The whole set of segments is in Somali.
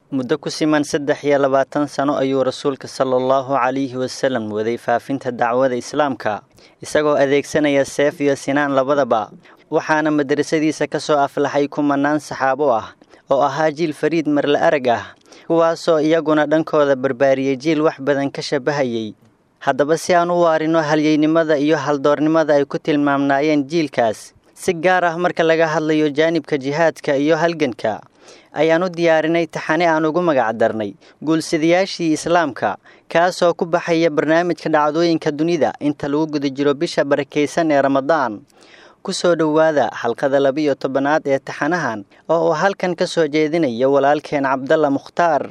Muddo ku siman 23 sano ayuu Rasuulka sallallahu calayhi wasallam waday faafinta dacwada Islaamka, isagoo adeegsanaya seef iyo sinaan labadaba, waxaana madrasadiisa ka soo aflaxay kumanaan saxaabo ah oo ahaa jiil fariid marla arag ah, kuwaasoo iyaguna dhankooda barbaariyey jiil wax badan ka shabahayay. Haddaba, si aan u waarino halyeynimada iyo haldoornimada ay ku tilmaamnaayeen jiilkaas, si gaar ah marka laga hadlayo jaanibka jihaadka iyo halganka, ayaan u diyaarinay taxane aan ugu magac darnay Guulsidayaashii Islaamka, kaasoo ku baxaya barnaamijka Dhacdooyinka Dunida inta lagu guda jiro bisha barakaysan ee Ramadaan. Ku soo dhowaada xalqada 12aad ee taxanahan oo uu halkan ka soo jeedinayo walaalkeen Cabdalla Mukhtaar.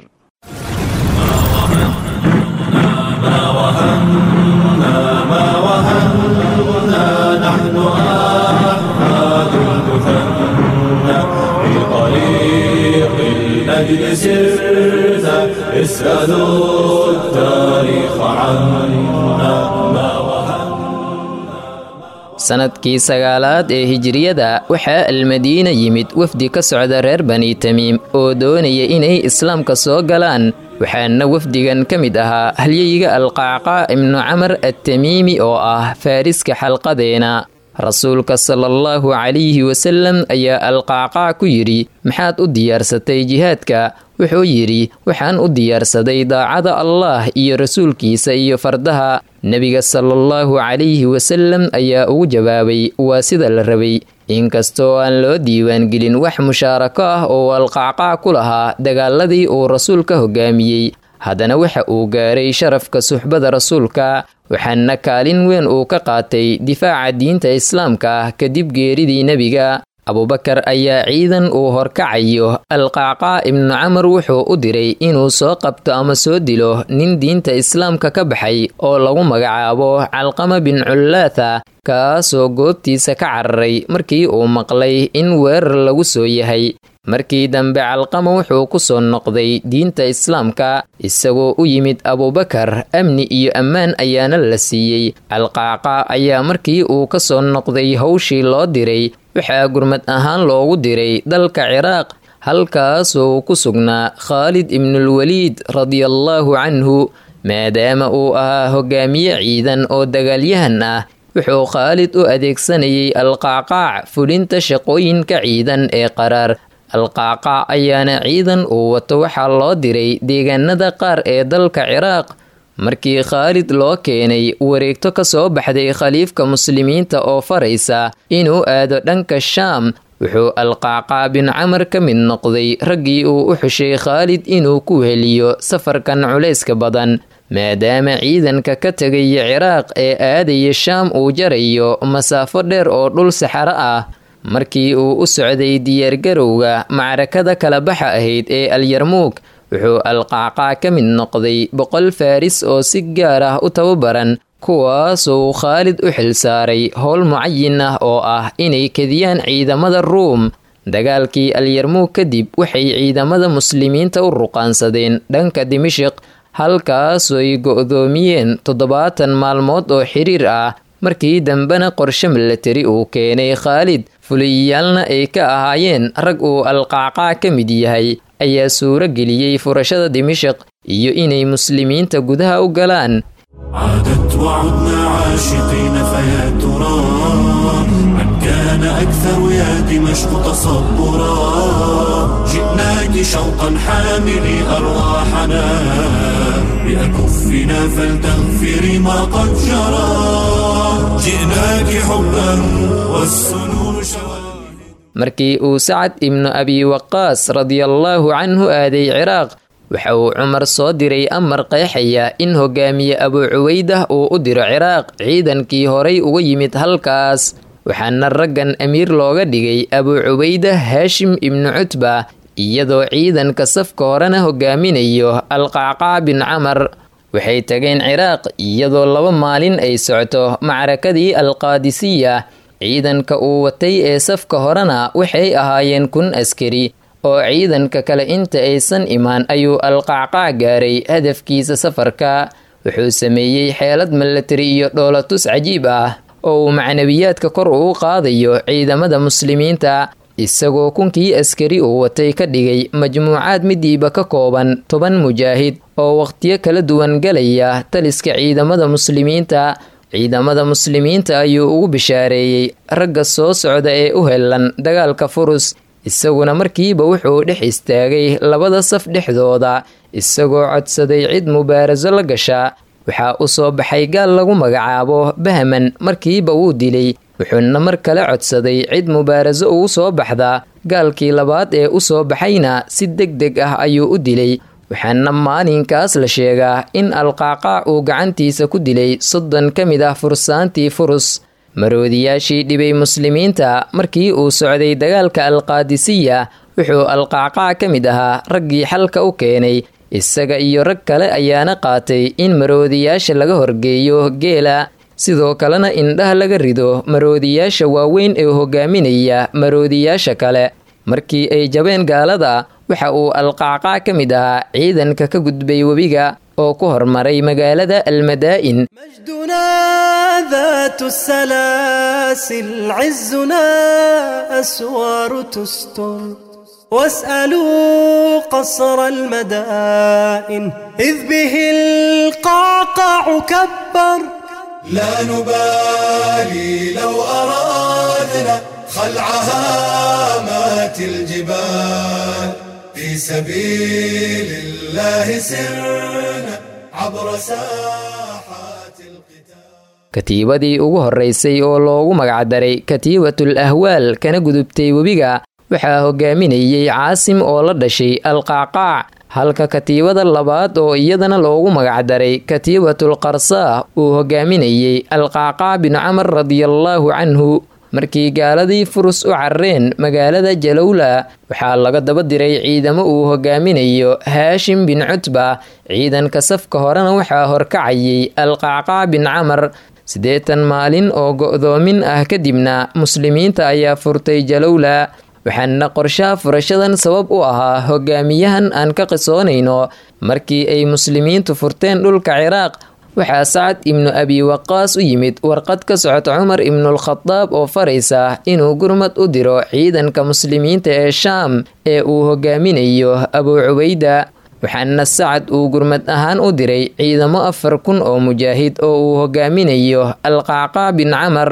أجل سرت اسألوا التاريخ عنا ما. Sanadkii 9aad ee hijiriyada waxaa Almadiina yimid wafdi ka socda reer Bani Tamiim oo doonaya inay Islaamka soo galaan, waxaana wafdigan ka mid ahaa halyeyga Alqacqaa ibnu Camar attamiimi oo ah faariska xalqadeena. Rasuulka salaallahu calayhi wasalam ayaa Alqacqaac ku yidhi: "Maxaad u diyaarsatay jihaadka?" Wuxuu yidhi: "Waxaan u diyaarsaday daacada Allaah iyo rasuulkiisa iyo fardaha." Nebiga salaallahu calayhi wasalam ayaa ugu jawaabay: "Waa sida la rabay." Inkastoo aan loo diiwaangelin wax mushaarako ah oo Alqacqaac ku lahaa dagaaladii uu rasuulka hogaamiyey, haddana waxa uu gaaray sharafka suxbada rasuulka, waxaana kaalin weyn uu ka qaatay difaaca diinta Islaamka ah kadib geeridii nebiga. Abubakar ayaa ciidan uu horkacayo Alqacqaa ibnu Camar wuxuu u diray inuu soo qabto ama soo dilo nin diinta Islaamka ka baxay oo lagu magacaabo Calqama bin Cullaatha, kaasoo goobtiisa ka cararay markii uu maqlay in weerar lagu soo yahay. Markii dambe Calqama wuxuu ku soo noqday diinta Islaamka isagoo u yimid Abubakar, amni iyo ammaan ayaana la siiyey. Alqacqa ayaa markii uu ka soo noqday howshii loo diray waxaa gurmad ahaan loogu diray dalka Ciraaq, halkaasoo ku sugnaa Khaalid ibnulwaliid radiallaahu canhu. Maadaama uu ahaa hogaamiye ciidan oo dagaalyahan ah, wuxuu Khaalid u adeegsanayay Alqacqaac fulinta shaqooyinka ciidan ee qaraar. Alqacqaac ayaana ciidan uu wato waxaa loo diray deegaanada qaar ee dalka Ciraaq. Markii Khaalid loo keenay wareegto ka soo baxday khaliifka muslimiinta oo faraysa inuu aado dhanka Shaam, wuxuu Alqacqaa bin Camar ka mid noqday raggii uu u xushay Khaalid inuu ku heliyo safarkan culayska badan, maadaama ciidanka ka tegaya Ciraaq ee aadaya Shaam uu jarayo masaafo dheer oo dhul saxaro ah. Markii uu u socday diyaargarowga macrakada kala baxa ahayd ee Alyarmuug, wuxuu Alqacqaa ka mid noqday 100 faris oo si gaar ah u tababaran, kuwaasoo Khaalid u xilsaaray howl mucayin ah oo ah inay kediyaan ciidamada Ruum. Dagaalkii Alyarmuug kadib waxay ciidamada muslimiinta u ruqaansadeen dhanka Dimishiq, halkaasoo ay go'doomiyeen 70 maalmood oo xiriir ah. Markii dambena qorshe milatari uu keenay Khaalid, fuliyaalna ay ka ahaayeen rag uu Alqacqaa ka mid yahay, ayaa suuro geliyey furashada Dimishiq iyo inay muslimiinta gudaha u galaan. عادت وعدنا عاشقين، فيا ترى من كان أكثر يا دمشق تصبرا؟ جئناك شوقا حاملي أرواحنا بأكفنا، فلتغفري ما قد جرى. جئناك حبا والسنون شواهد. Markii uu Sacad ibnu Abi Waqaas radiallaahu canhu aaday Ciraaq, waxa uu Cumar soo diray amar qeexaya in hogaamiye Abu Cuweydah uu u diro Ciraaq ciidankii horay uga yimid halkaas, waxaana raggan amiir looga dhigay Abu Cubaydah Haashim ibnu Cutba, iyadoo ciidanka safka horena hogaaminayo Alqacqaa bin Camar. Waxay tageen Ciraaq iyadoo 2 maalin ay socoto macrakadii Alqaadisiya. Ciidanka uu watay ee safka horena waxay ahaayeen 1000 askari oo ciidanka kale inta aysan imaan ayuu Alqacqaac gaaray hadafkiisa safarka. Wuxuu sameeyey xeelad milatari iyo dhoolatus cajiib ah oo uu macnawiyaadka kor ugu qaadayo ciidamada muslimiinta. Isagoo 1000kii askari uu watay ka dhigay majmuucaad midiiba ka kooban 10 mujaahid oo waqtiyo kala duwan galaya taliska ciidamada muslimiinta. Ciidamada muslimiinta ayuu ugu bishaareeyey ragga soo socda ee u helan dagaalka Furus. Isaguna markiiba wuxuu dhex istaagay labada saf dhexdooda, isagoo codsaday cid mubaaraso la gasha. Waxaa u soo baxay gaal lagu magacaabo Bahman, markiiba wuu dilay. Wuxuuna mar kale codsaday cid mubaaraso ugu soo baxda. Gaalkii labaad ee u soo baxayna si deg deg ah ayuu u dilay. Waxaana maalinkaas la sheegaa in Alqacqaac uu gacantiisa ku dilay 30 ka mid ah fursaantii Furus. Maroodiyaashii dhibay muslimiinta markii uu socday dagaalka Alqaadisiya, wuxuu Alqacqaac ka mid ahaa raggii xalka u keenay. Isaga iyo rag kale ayaana qaatay in maroodiyaasha laga horgeeyo geela, sidoo kalena indhaha laga rido maroodiyaasha waaweyn ee hogaaminaya maroodiyaasha kale. Markii ay jabeen gaalada, waxa uu Alqacqaac ka mid ahaa ciidanka ka gudbay webiga oo ku hormaray magaalada Almadaa'in. مجدنا ذات السلاسل عزنا أسوار تستر، واسألوا قصر المدائن إذ به القعقاع كبر. لا نبالي لو أرادنا خلع هامات الجبال، في سبيل الله سرنا عبر ساحات القتال. Katiibadii ugu horreysay oo loogu magacdaray Katiibatul Ahwaal kana gudubtay webiga waxaa hogaaminayay Caasim oo la dhashay Alqacqaac, halka katiibada labaad oo iyadana loogu magacdaray Katiibatul Qarsaah uu hogaaminayay Alqacqaac bin Camar radiyallaahu canhu. Markii gaaladii Furus u carareen magaalada Jalowla, waxaa laga daba diray ciidamo uu hogaaminayo Haashim bin Cutba. Ciidanka safka horena waxaa horkacayay Alqacqaac bin Camar. 80 maalin oo go'doomin ah kadibna muslimiinta ayaa furtay Jalowla. Waxaana qorshaha furashadan sabab u ahaa hogaamiyahan aan ka qisoonayno. Markii ay muslimiintu furteen dhulka Ciraaq, waxaa Sacad ibnu Abi Waqaas u yimid warqad ka socota Cumar ibnulkhadaab oo faraysa inuu gurmad u diro ciidanka muslimiinta ee Shaam ee uu hogaaminayo Abuu Cubayda. Waxaana Sacad uu gurmad ahaan u diray ciidamo 4000 oo mujaahid oo uu hogaaminayo Alqacqaac bin Camar.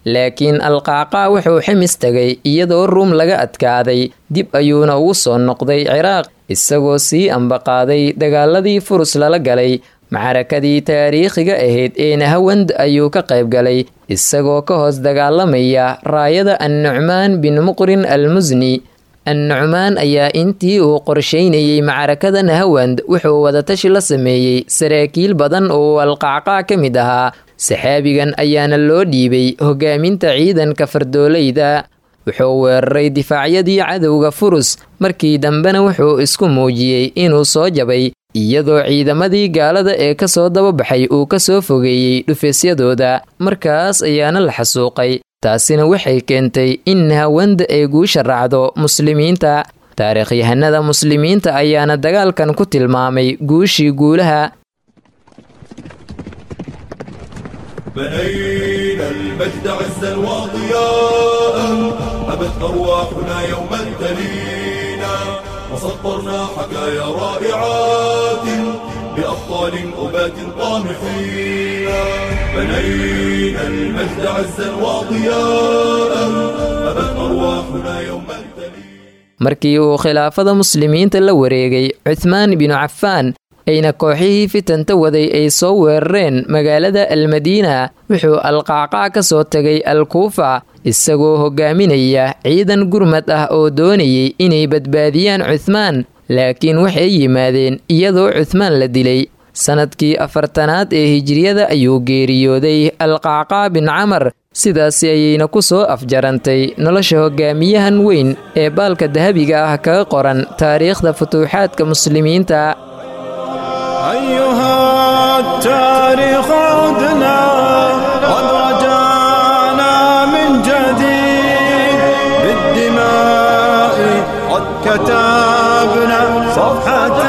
Laakiin Alqacqaac wuxuu ximis tagay iyadoo Ruum laga adkaaday, dib ayuuna ugu soo noqday Ciraaq isagoo sii ambaqaaday dagaaladii Furus lala galay. Macrakadii taariikhiga ahayd ee Nahawand ayuu ka qayb galay, isagoo ka hoos dagaalamaya raayada Annucmaan bin Muqrin Almusni. Annucmaan ayaa intii uu qorsheynayay macrakada Nahawand wuxuu wadatashi la sameeyey saraakiil badan oo uu Alqacqaac ka mid ahaa. Saxaabigan ayaana loo dhiibay hogaaminta ciidanka fardoolayda. Wuxuu weeraray difaacyadii cadowga Furus, markii dambena wuxuu isku muujiyey inuu soo jabay, iyadoo ciidamadii gaalada ee kasoo dababaxay uu kasoo fogeeyey dhufeesyadooda. Markaas ayaana la xasuuqay. Taasina waxay keentay in Nahawanda ay guusha raacdo muslimiinta. Taariikhyahanada muslimiinta ayaana dagaalkan ku tilmaamay guushii guulaha. بنينا المجد عزا وضياء، أبت أرواحنا يوما تلينا، وسطرنا حكايا رائعات بأبطال أبات طامحين. بنينا المجد عزا وضياء، أبت أرواحنا يوما تلينا. Markii uu khilaafada muslimiinta la wareegay Cuthmaan binu Cafaan, ayna kooxihii fitanta waday ay soo weerareen magaalada Almadiina, wuxuu Alqacqaac ka soo tagay Alkuufa isagoo hogaaminaya ciidan gurmad ah oo doonayay inay badbaadiyaan Cuthmaan. Laakiin waxay yimaadeen iyadoo Cuthmaan la dilay. Sanadkii 40aad ee hijriyada ayuu geeriyooday Alqacqaac bin Camar. Sidaasi ayayna ku soo afjarantay nolosha hogaamiyahan weyn ee baalka dahabiga ah kaga qoran taariikhda futuuxaadka muslimiinta. أيها التاريخ عدنا قد رجعنا من جديد، بالدماء قد كتبنا صفحة